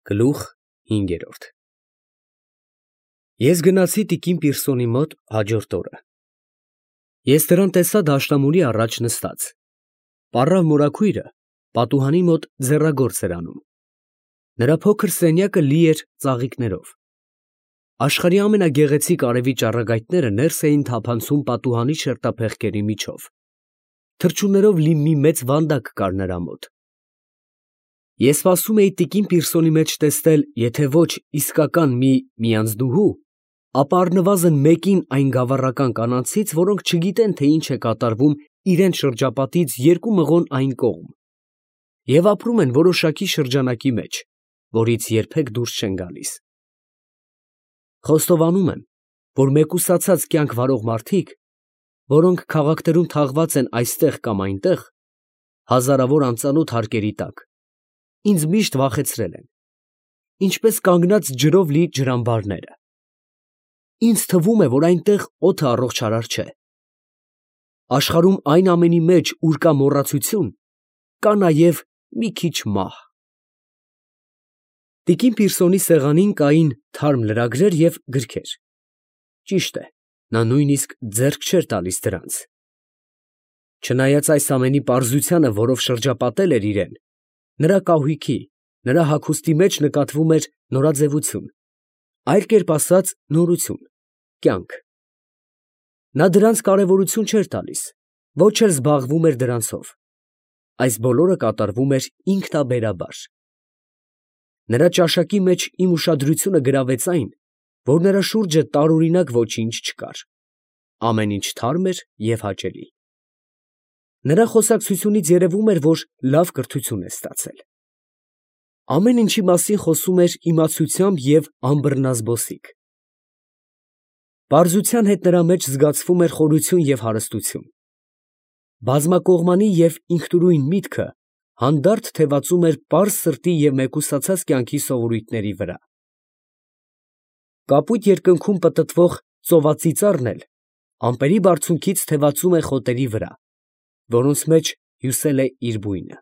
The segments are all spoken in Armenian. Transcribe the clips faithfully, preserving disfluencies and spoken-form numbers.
Գլուխ հինգերորդ Ես գնացի տիկին Պիրսոնի մոտ հաջորդ օրը։ Ես նրան տեսա դաշնամուրի առաջ նստած, պառավ մորաքույրը պատուհանի մոտ ձեռագործ էր անում։ Նրա փոքր սենյակը լի էր ծաղիկներով։ Աշխարհի ամենագեղեցիկ արևի ճառագայթները ներս էին թափանցում պատուհանի շերտափեղկերի միջով։ Թռչուններով լի մի մեծ վանդակ կար նրա մոտ։ Ես սպասում էի տիկին Պիրսոնի մեջ տեսնել եթե ոչ իսկական մի միանձնուհու, ապա առնվազն մեկին այն գավառական կանանցից, որոնք չգիտեն, թե ինչ է կատարվում իրենց շրջապատից երկու մղոն այն կողմ և ապրում են որոշակի շրջանակի մեջ, որից երբեք դուրս չեն գալիս։ Խոստովանում եմ, որ մեկուսացած կյանք վարող մարդիկ, որոնք քաղաքներում թաղված են այստեղ կամ այնտեղ, հազարավոր անծանոթ հարկերի տակ, ինձ միշտ վախեցրել են, ինչպես կանգնած ջրով լի ջրամբարները։ Ինձ թվում է, որ այնտեղ օդը առողջարար չէ։ Աշխարհում այն ամենի մեջ, ուր կա մոռացություն, կա նաև մի քիչ մահ։ Տիկին Պիրսոնի սեղանին կային թարմ լրագրեր և գրքեր։ Ճիշտ է, նա նույնիսկ ձեռք չէր տալիս դրանց։ Չնայած այս ամենի պարզությանը, որով շրջապատել էր իրեն, նրա կահույքի, նրա հագուստի մեջ նկատվում էր նորաձևություն, այլ կերպ ասած նորություն, կյանք։ Նա դրանց կարևորություն չէր տալիս, ոչ էլ զբաղվում էր դրանցով։ Այս բոլորը կատարվում էր ինքնաբերաբար։ Նրա ճաշակի մեջ իմ ուշադրությունը գրավեց այն, որ նրա շուրջը տարօրինակ ոչինչ չկար, ամեն ինչ թարմ էր և հաճելի։ Նրա խոսակցությունից երևում էր, որ լավ կրթություն է ստացել։ Ամեն ինչի մասին խոսում էր իմացությամբ և անբռնազբոսիկ։ Պարզության հետ նրա մեջ զգացվում էր խորություն և հարստություն։ Բազմակողմանի և ինքնուրույն միտքը հանդարտ թևածում էր պարզ սրտի և մեկուսացած կյանքի սովորույթների վրա։ Կապույտ երկնքում պտտվող ծովածիծառն էլ ամպերի բարձունքից թևածում է խոտերի վրա, որոնց մեջ հյուսել է իր բույնը։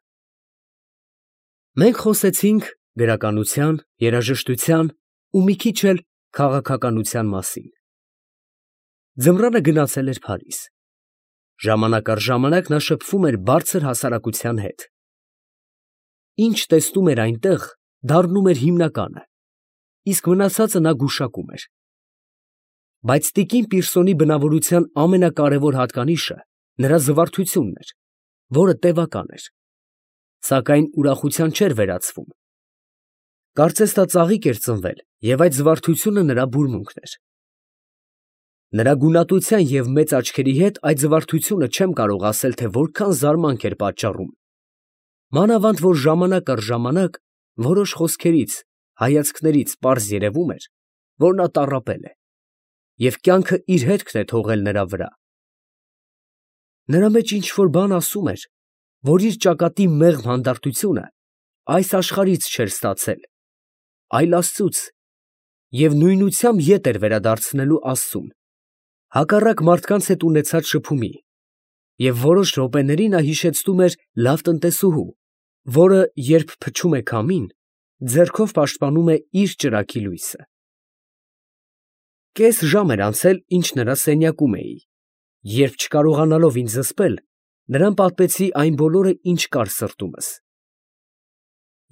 Մենք խոսեցինք գրականության, երաժշտության ու մի քիչ էլ քաղաքականության մասին։ Ձմռանը գնացել էր Փարիզ։ Ժամանակ առ ժամանակ նա շփվում էր բարձր հասարակության հետ։ Ինչ տեսնում էր այնտեղ, դառնում էր հիմնականը, իսկ մնացածը նա գուշակում էր։ Բայց տիկին Պիրսոնի բնավորության ամենակարևոր հատկանիշը նրա զվարթությունն էր, որը տևական էր, սակայն ուրախության չէր վերածվում։ Կարծես նա ծաղիկ էր ծնվել, և այդ զվարթությունը նրա բուրմունքն էր։ Նրա գունատության և մեծ աչքերի հետ այդ զվարթությունը չեմ կարող ասել, թե որքան զարմանք էր պատճառում, մանավանդ որ ժամանակ առ ժամանակ որոշ խոսքերից, հայացքներից պարզ երևում էր, որ նա տառապել է, և կյանքը իր հետքն է թողել նրա վրա։ Նրա մեջ ինչ֊որ բան ասում էր, որ իր ճակատի մեղմ հանդարտությունը այս աշխարհից չէր ստացել, այլ աստծուց, և նույնությամբ ետ էր վերադարձնելու աստծուն, հակառակ մարդկանց հետ ունեցած շփումի, և որոշ րոպեների նա հիշեցնում էր լավ տնտեսուհու, որը, երբ փչում է քամին, ձեռքով պաշտպանում է իր ճրագի լույսը։ Կես ժամ էր անցել, ինչ նրա սենյակում էի, երբ չկարողանալով ինձ զսպել, նրան պատմեցի այն բոլորը, ինչ կար սրտումս։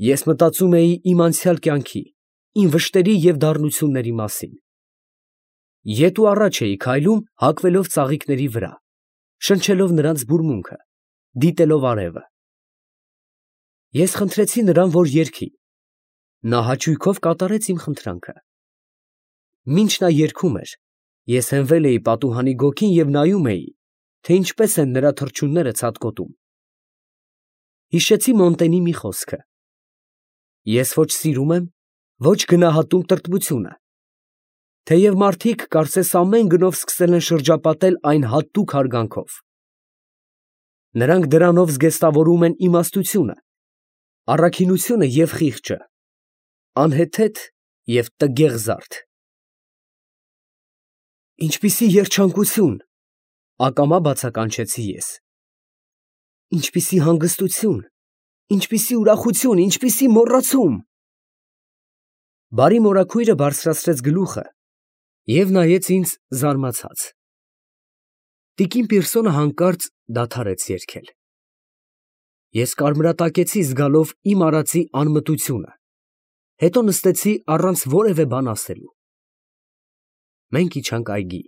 Ես մտածում էի իմ անցյալ կյանքի, իմ վշտերի և դառնությունների մասին։ Ետ ու առաջ էի քայլում, հագվելով ծաղիկների վրա, շնչելով նրանց բուրմունքը, դիտելով արևը։ Ես խնդրեցի նրան, որ երգի։ Նա հաճույքով կատարեց իմ խնդրանքը։ Մինչ նա երգում էր, ես հենվել էի պատուհանի գոգին և նայում էի, թե ինչպես են նրա թռչունները ցատկոտում։ Հիշեցի Մոնտենի մի խոսքը. «Ես ոչ սիրում եմ, ոչ գնահատում տրտմությունը, թեև մարդիկ կարծես ամեն գնով սկսել են շրջապատել այն հատուկ հարգանքով։ Նրանք դրանով զգեստավորում են իմաստությունը, առաքինությունը և խիղճը, անհեթեթ և տգեղ զարդ»։ Ինչպիսի երջանկություն, ակամա բացականչեցի ես։ Ինչպիսի հանգստություն, ինչպիսի ուրախություն, ինչպիսի մոռացում։ Բարի մորաքույրը բարձրացրեց գլուխը և նայեց ինձ զարմացած։ Տիկին Պիրսոնը հանկարծ դադարեց երգել։ Ես կարմրատակեցի զգալով իմ արածի անմտությունը, հետո նստեցի առանց որևէ բան ասելու։ Մենք իջանք այգի։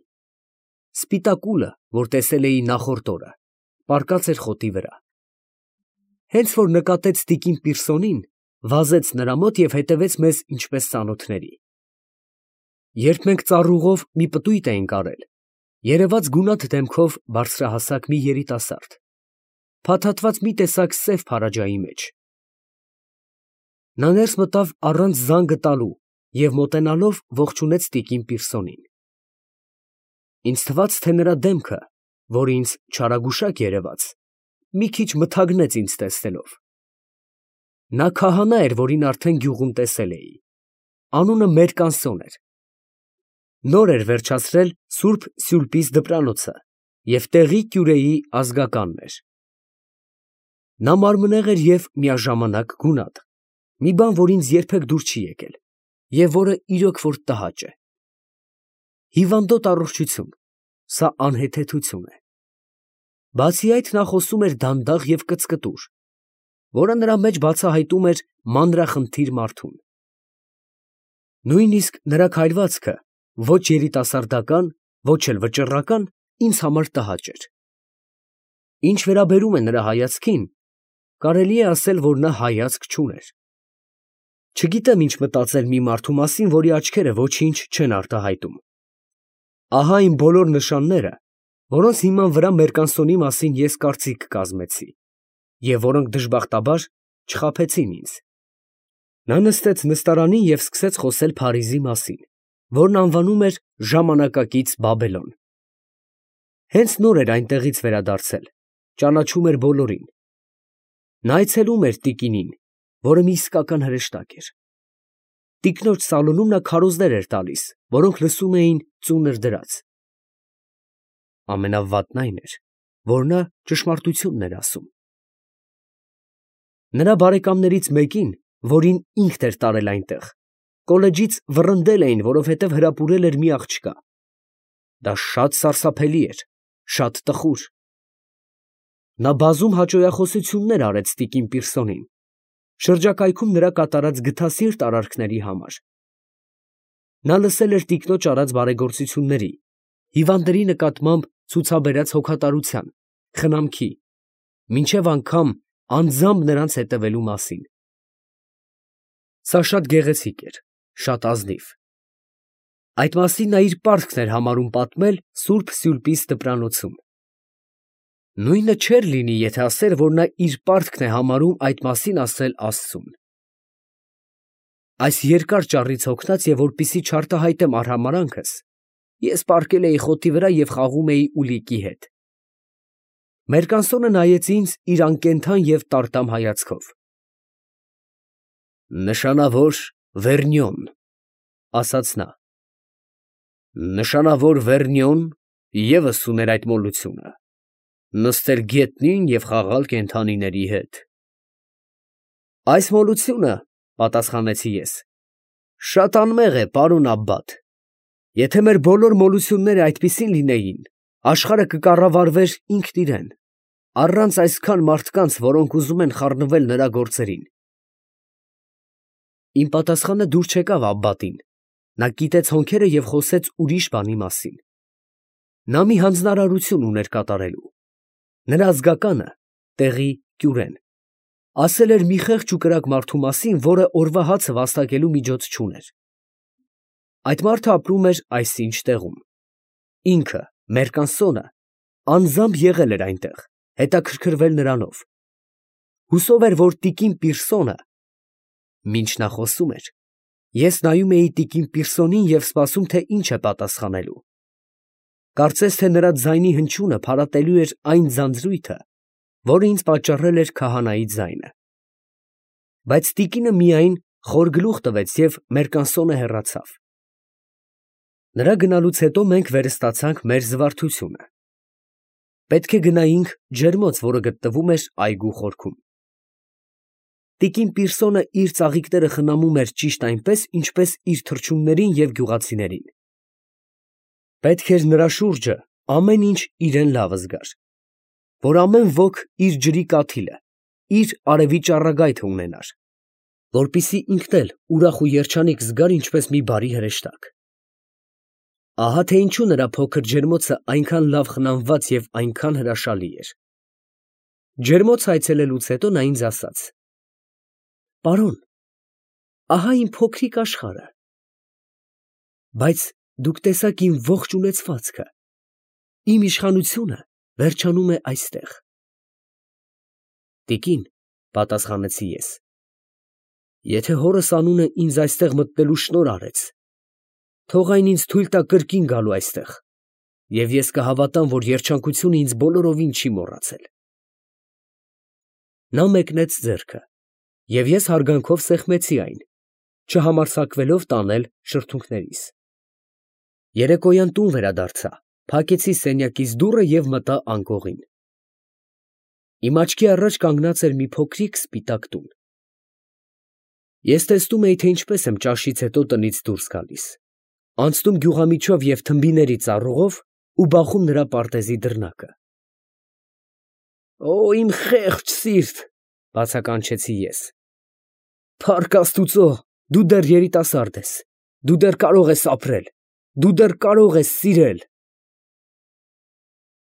Սպիտակուլը, որ տեսել էի նախորդ օրը, պառկած էր խոտի վրա։ Հենց որ նկատեց տիկին Պիրսոնին, վազեց նրա մոտ և հետևեց մեզ ինչպես ծանոթների։ Երբ մենք ծառուղով մի պտույտ էինք արել, երևաց գունատ դեմքով բարձրահասակ մի երիտասարդ, փաթաթված մի տեսակ սև փարաջայի մեջ։ Նա ներս մտավ առանց զանգը տալու և մոտենալով ողջունեց տիկին Պիրսոնին։ Ինձ թվաց, թե նրա դեմքը, որ ինձ չարագուշակ երևաց, մի քիչ մթագնեց ինձ տեսնելով։ Նա քահանա էր, որին արդեն գյուղում տեսել էի, անունը Մերկանսոն էր։ Նոր էր վերջացրել Սուրբ Սյուլպիս դպրանոցը և տեղի կյուրեի ազգականն էր։ Նա մարմնեղ էր և միաժամանակ գունատ, մի բան, որ ինձ երբեք դուր չի եկել և որը իրոք որ տհաճ է։ Հիվանդոտ առողջություն, սա անհեթեթություն է։ Բացի այդ, նա խոսում էր դանդաղ և կծկտուր, որը նրա մեջ բացահայտում էր մանրախնդիր մարդուն։ Նույնիսկ նրա քայլվածքը, ոչ երիտասարդական, ոչ էլ վճռական, ինձ համար տհաճ էր։ Ինչ վերաբերում է նրա հայացքին, կարելի է ասել, որ նա հայացք չուներ։ Չգիտեմ ինչ մտածել մի մարդու մասին, որի աչքերը ոչինչ չեն արտահայտում։ Ահա իմ բոլոր նշանները, որոնց հիման վրա Մերկանսոնի մասին ես կարծիք կազմեցի, և որոնք դժբախտաբար չխաբեցին ինձ։ Նա նստեց նստարանին և սկսեց խոսել Փարիզի մասին, որն անվանում էր ժամանակակից Բաբելոն։ Հենց նոր էր այնտեղից վերադարձել, ճանաչում էր բոլորին։ Նա այցելում էր տիկինին, որը մի իսկական հրեշտակ էր։ Տիկնոջ սալոնում նա քարոզներ էր տալիս, որոնք լսում էին ծունր դրած։ Ամենավատն այն էր, որ նա ճշմարտությունն էր ասում։ Նրա բարեկամներից մեկին, որին ինքն էր տարել այնտեղ, կոլեջից վռնդել էին, որովհետև հրապուրել էր մի աղջկա։ Դա շատ սարսափելի էր, շատ տխուր։ Նա բազում հաճոյախոսություններ արեց տիկին Պիրսոնին, շրջակայքում նրա կատարած գթասիրտ արարքների համար։ Նա լսել էր տիկնոջ արած բարեգործությունների, հիվանդների նկատմամբ ցուցաբերած հոգատարության, խնամքի, մինչև անգամ անձամբ նրանց հետևելու մասին։ Սա շատ գեղեցիկ էր, շատ ազնիվ։ Այդ մասին նա իր պարտքն էր համարում պատմել Սուրբ Սյուլպիս դպրանոցում։ Նույնը չէր լինի, եթե ասեր, որ նա իր պարտքն է համարում այդ մասին ասել Աստծուն։ Այս երկար ճառից հոգնած և որպեսզի չարտահայտեմ արհամարհանքս, ես պառկել էի խոտի վրա և խաղում էի ուլիկի հետ։ Մերկանսոնը նայեց ինձ իր անկենդան և տարտամ հայացքով։ Նշանավոր Վերնյոն, ֊ ասաց նա։ Նշանավոր Վերնյոն ևս ուներ այդ մոլությունը, նստել գետնին և խաղալ կենդանիների հետ։ Այս մոլությունը, ֊ պատասխանեցի ես, ֊ շատ անմեղ է, պարոն Աբբաթ։ Եթե մեր բոլոր մոլությունները այդպիսին լինեին, աշխարհը կկառավարվեր ինքն իրան, առանց այսքան մարդկանց, որոնք ուզում են խառնվել նրա գործերին։ Իմ պատասխանը դուր չեկավ Աբբաթին. նա կիտեց հոնքերը և խոսեց ուրիշ բանի մասին։ Նա մի հանձնարարություն ուներ կատարելու։ Նրա ազգականը, տեղի կյուրեն, ասել էր մի խեղճ ու կրակ մարդու մասին, որը օրվա հացը վաստակելու միջոց չուներ։ Այդ մարդը ապրում էր այսինչ տեղում։ Ինքը, Մերկանսոնը, անձամբ եղել էր այնտեղ, հետաքրքրվել նրանով։ Հուսով էր, որ տիկին Պիրսոնը… Մինչ նա խոսում էր, ես նայում էի տիկին Պիրսոնին և սպասում, թե ինչ է պատասխանելու։ Կարծես թե նրա ձայնի հնչյունը փարատելու էր այն ձանձրույթը, որը ինձ պատճառել էր քահանայի ձայնը։ Բայց տիկինը միայն խոր գլուխ տվեց և Մերկանսոնը հեռացավ։ Նրա գնալուց հետո մենք վերստացանք մեր զվարթությունը։ Պետք է գնայինք ջերմոց, որը գտնվում էր այգու խորքում։ տիկին Պիրսոնը իր ծաղիկները խնամում էր ճիշտ այնպես, ինչպես իր թռչուններին և գյուղացիներին. պետք էր նրա շուրջը ամեն ինչ իրան լավ զգար, որ ամեն ոք իր ջրի կաթիլը, իր արևի ճառագայթը ունենար, որպեսզի ինքն էլ ուրախ ու երջանիկ զգար ինչպես մի բարի հրեշտակ։ Ահա թե ինչու նրա փոքր ջերմոցը այնքան լավ խնամված և այնքան հրաշալի էր։ Ջերմոց այցելելուց հետո նա ինձ ասաց. «Պարոն, ահա իմ փոքրիկ աշխարհը, բայց դուք տեսաք իմ ողջ ունեցվածքը, իմ իշխանությունը վերջանում է այստեղ»։ Տիկին, ֊ պատասխանեցի ես, ֊ եթե հորս անունը ինձ այստեղ մտնելու շնորհ արեց, թող այն ինձ թույլ տա կրկին գալու այստեղ, և ես կհավատամ, որ երջանկությունը ինձ բոլորովին չի մոռացել։ Նա մեկնեց ձեռքը, և ես հարգանքով սեղմեցի այն, չհամարձակվելով տանել շրթունքներիս։ Երեկոյան տուն վերադարձա, փակեցի սենյակիս դուռը և մտա անկողին։ Իմ աչքի առաջ կանգնած էր մի փոքրիկ սպիտակ տուն։ Ես տեսնում էի, թե ինչպես եմ ճաշից հետո տնից դուրս գալիս, անցնում գյուղամիջով և թմբիների ծառուղով ու բախում նրա պարտեզի դռնակը։ «Օ, իմ խեղճ սիրտ, ֊ բացականչեցի ես, ֊ փառք աստուծո, դու դեռ երիտասարդ ես, դու դեռ կարող ես ապրել, դու դեռ կարող ես սիրել»։